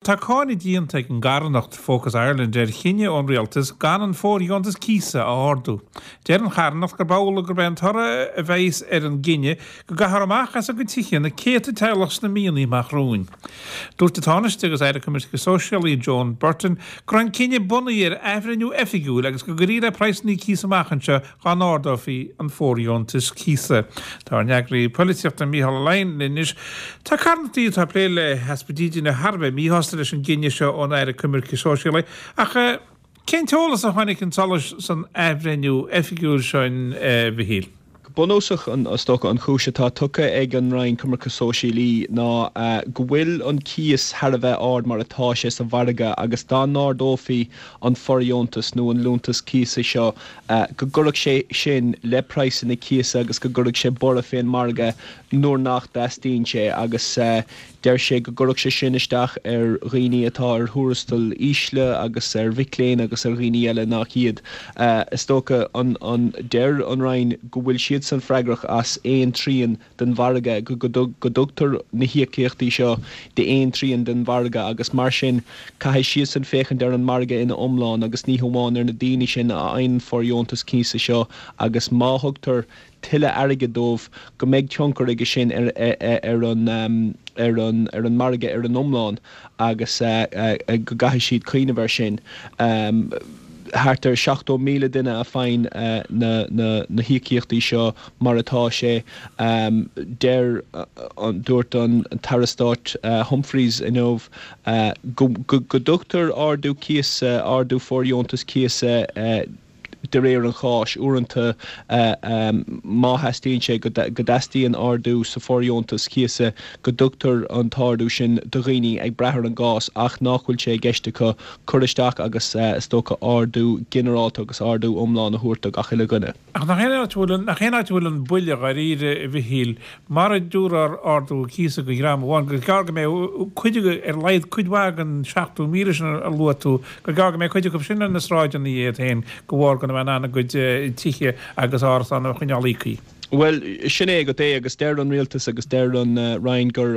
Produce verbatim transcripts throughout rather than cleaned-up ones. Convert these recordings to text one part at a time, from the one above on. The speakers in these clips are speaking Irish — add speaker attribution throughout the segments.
Speaker 1: Tá cáineadh déanta ag an gcarthanacht Focus Ireland ar chinneadh ón rialtas gan an fóirdheontas cíosa a ardú. Deir an charthanacht gurb amhlaidh gurb é an toradh a bheas ar an gcinneadh go gcaithfear amach as a gcuid tithe na céadta teaghlach sna míonna amach romhainn. Dúirt an Tánaiste agus Aire Coimirce Sóisialaí Joan Burton go raibh an cinneadh bunaithe ar athbhreithniú oifigiúil agus go gcuirfí le praghsanna cíosa amach anseo dá n-ardófaí an fóirdheontas cíosa. Tá ár n-eagraí polaitíochta Mícheál Ó Leidhin anois. Tá carthanachtaí atá ag plé le heaspa dídine thar a bheith míshásta leis an gcinneadh seo ón Aire Coimirce Sóisialaí ach cén t-eolas a tháinig chun solais san athbhreithniú oifigiúil seo a Mhichíl?
Speaker 2: Go bunúsach an is dócha an chúis atá tugtha ag an Roinn Coimirce Sóisialaí ná go bhfuil an cíos thar a bheith ard mar atá sé sa mhargadh agus dá n-ardófaí an fóirdheontas nó an liúntas cíosa seo go gcuirfeadh sé sin le praghsanna cíosa agus go gcuirfeadh sé borradh fén margadh nuair nach dteastaíonn sé agus deir sé go gcuirfeadh sé sin isteach ar dhaoine atá ar thuarastail ísle agus ar mhic léinn agus ar dhaoine eile nach iad. Is dócha an an deir an Roinn go bhfuil siadsan freagrach as aon trian den mhargadh go go dtugtar na híocaíochtaí seo d'aon trian den mhargadh agus mar sin caithfidh siadsan féachaint ar an margadh ina iomlán agus ní hamháin ar na daoine sin a fhaigheann an fóirdheontas cíosa seo agus má thugtar tuilleadh airgid dóibh go mbeidh tionchar aige sin ar ar an ar an ar an margadh ar an iomlán agus go gcaithfidh siad cuimhneamh air sin. Thart ar seachtó míle duine a fhaigheann na na na híocaíochtaí seo mar atá sé. Deir dúirt an tAire Stáit Humphreys inniu go go dtugtar ardú cíosa, ardú fóirdheontas cíosa, de réir an cháis. Uaireanta, má theastaíonn sé go dteastaíonn ardú sa fóirdheontas cíosa, go dtugtar an t-ardú sin do dhaoine ag brath ar an gcás ach nach bhfuil sé i gceist acu cur isteach agus is dócha ardú ginearálta agus ardú iomlán a thabhairt do gach uile dhuine.
Speaker 1: Ach nach é an áit a bhfuil an, nach é an áit a bhfuil an buille dháiríre, a Mhichíl, mara dtabharfar ardú cíosa do dhream amháin, gur gearr go mbeidh cuid, ar a laghad cuid mhaith den seachtó míle sin a luaigh tú, gur gearr go mbeidh cuid acu sin ar na sráideanna iad féin de bharr gan a bheith in ann a gcuid tithe agus árasán a choinneáil íoctha.
Speaker 2: Bhuel, sin é agat é agus deir an Rialtas agus deir an Roinn gur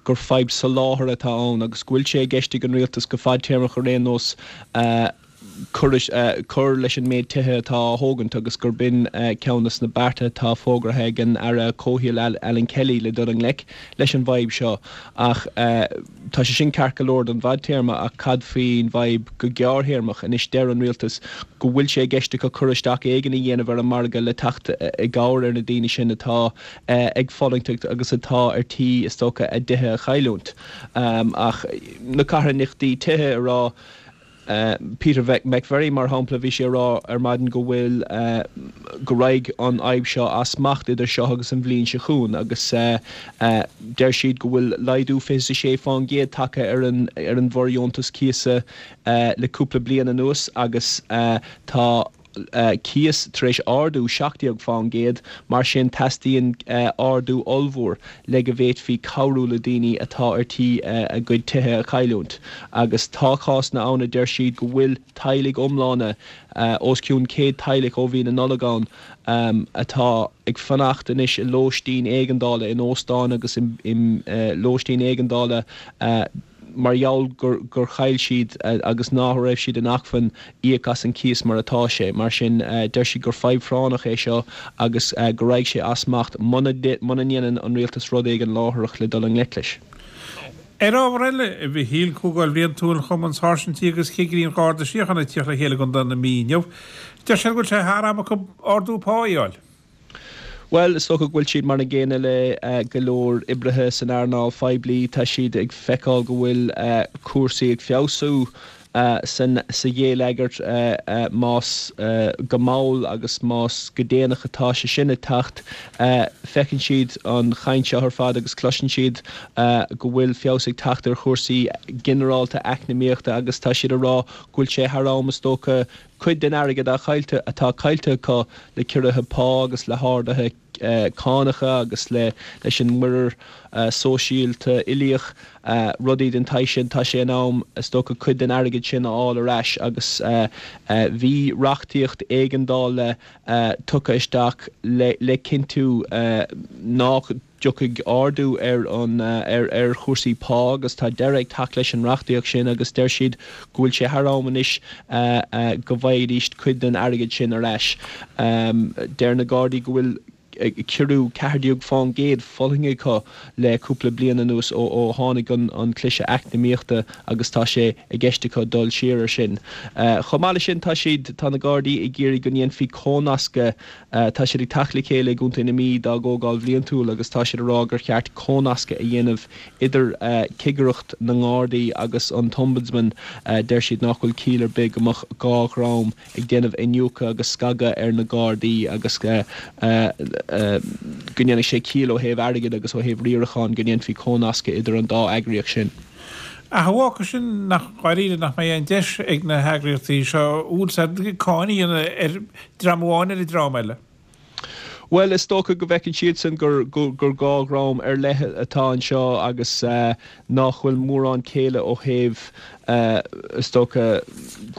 Speaker 2: gur fadhb soláthair atá ann agus go bhfuil sé i gceist ag an Rialtas go fadtéarmach ar aon nós cur cur leis an méid tithe atá á thógaint agus gurb in ceann de na bearta atá fógartha ag an Aire Comhshaoil Alan Kelly le dul i ngleic leis an bhfadhb seo. Ach tá sé sin ceart go leor don bhfadtéarma ach cad faoin bhfadhb go gearrthéarmach? Anois deir an Rialtas go bhfuil sé i gceist acu cur isteach éigin a dhéanamh ar an margadh le teacht i gcabhair ar na daoine sin atá ag fulaingt agus atá ar tí is dócha a dtithe a chailliúint. Ach na carthanachtaí tithe a rá, Peter McVerry, mar shampla, bhí sé ag rá ar maidin go bhfuil, go raghaidh an fhadhb seo as smacht idir seo agus an bhliain seo chugainn agus deir siad go bhfuil laghdú fiche is a sé fán gcéad tagtha ar an ar an bhfóirdheontas cíosa le cúpla bliain anuas agus tá cíos tar éis ardú seacht déag fán gcéad, mar sin teastaíonn ardú ollmhór le go bhféadfaí cabhrú le daoine atá ar tí a gcuid tithe a chailliúint. Agus tá cásanna ann a deir siad go bhfuil teaghlaigh iomlána, os cionn céad teaghlach ó bhí na Nollag ann, atá ag fanacht anois i lóistín éigeandála, in óstáin agus i lóistín éigeandála, mar gheall gur chaill siad agus ná raibh siad in acmhainn íoc as an cíos mar atá sé. Mar sin, deir siad gur fadhb phráinneach é seo agus go raghaidh sé as smacht muna ndéanann an rialtas rud éigin láithreach le dul i ngleic leis.
Speaker 1: Ar ábhar eile, a Mhichíl, Comhdháil Bhliantúil Chumann Sáirsintí agus Chigirí an Gharda Síochána ag tíocht le chéile i gContae na Mí inniu. Deir siad go bhfuil sé thar am acu ardú pá a fháil.
Speaker 2: Bhuel, is dócha go bhfuil siad mar an gcéanna le go leor oibrithe san earnáil phoiblí. Tá siad ag feiceáil go bhfuil cúrsaí ag feabhsú sa ghéilleagar, más go mall agus más go déanach atá sé sin ag teacht. Feiceann siad an chaint seo ar fad agus cloiseann siad go bhfuil feabhas ag teacht ar chúrsaí ginearálta eacnamaíochta agus tá siad ag rá go bhfuil sé thar am, is dócha, Cuid den airgead atá caillte acu le ciorruithe pá agus le harduithe cánacha agus leis an muirear sóisialta uilíoch, rudaí den tsaghas sin, tá sé in am, is dócha, cuid den airgead sin a fháil ar ais agus bhí reachtaíocht éigeandála tugtha isteach le cinntiú nach. dtiocfaidh ardú ar an ar ar chúrsaí pá agus tá deireadh ag teacht leis an reachtaíocht sin agus deir siad go bhfuil sé thar am anois go bhfaighidís cuid den airgead sin ar ais. Deir na Gardaí go bhfuil ciorrú ceathair déag fán gcéad fulaingthe acu le cúpla bliain anuas ó ó tháinig an an cliseadh eacnamaíochta agus tá sé i gceist acu dul siar ar sin. Chomh maith leis sin tá siad tá na Gardaí ag iarraidh go ndéanfaí cónascadh tá siad ag teacht le chéile i gContae na Mí dá gcomhdháil bhliantúil agus tá siad ag rá gur cheart cónascadh a dhéanamh idir cigireacht na nGardaí agus an tOmbudsman. Deir siad nach bhfuil ciall ar bith go mbeadh dhá dhream ag déanamh iniúchadh agus scagadh ar na Gardaí agus go ndéanfadh sé ciall ó thaobh airgid agus ó thaobh riaracháin go ndéanfaí cónascadh idir an dá eagraíocht sin.
Speaker 1: Ach a bhfágfaidh sin nach dáiríre nach mbeidh aon deis ag na heagraíochtaí seo úsáid cáin a dhéanamh ar dream amháin ar an dream eile?
Speaker 2: Bhuel, is dócha go bhfeiceann siadsan gur gur dhá dhream ar leith atá anseo agus nach bhfuil mórán céille ó thaobh is dócha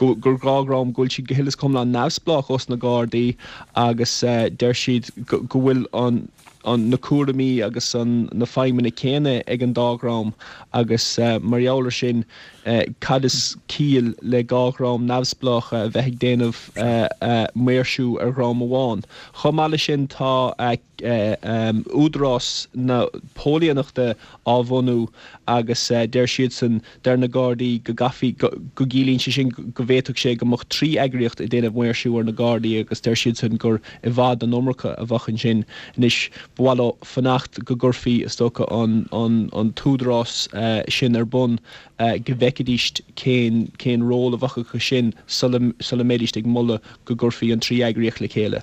Speaker 2: gur dhá dhream go bhfuil siad go huile is go hiomlán neamhspleách ós na Gardaí agus deir siad go bhfuil an an na cúraimí agus an na feidhmeanna céanna ag an dá dhream agus mar gheall ar sin cad is ciall le dhá dhream neamhspleácha a bheith ag déanamh maoirsiú ar dhream amháin. Chomh maith leis sin tá Údarás na Póilíneachta á bhunú agus deir siadsan, deir na Gardaí go gcaithfí, go gciallaíonn sé sin go bhféadfadh sé go mbeadh trí eagraíocht ag déanamh maoirsiú ar na Gardaí agus deir siadsan gur i bhfad an iomarca a bheadh ansin. Anois ba mhaith leo fanacht go gcuirfí is dócha an an t-údarás sin ar bun go bhfeicfidís cén cén ról a bheadh acu sin sula sula mbeidís ag moladh go gcuirfí an trí eagraíocht le chéile.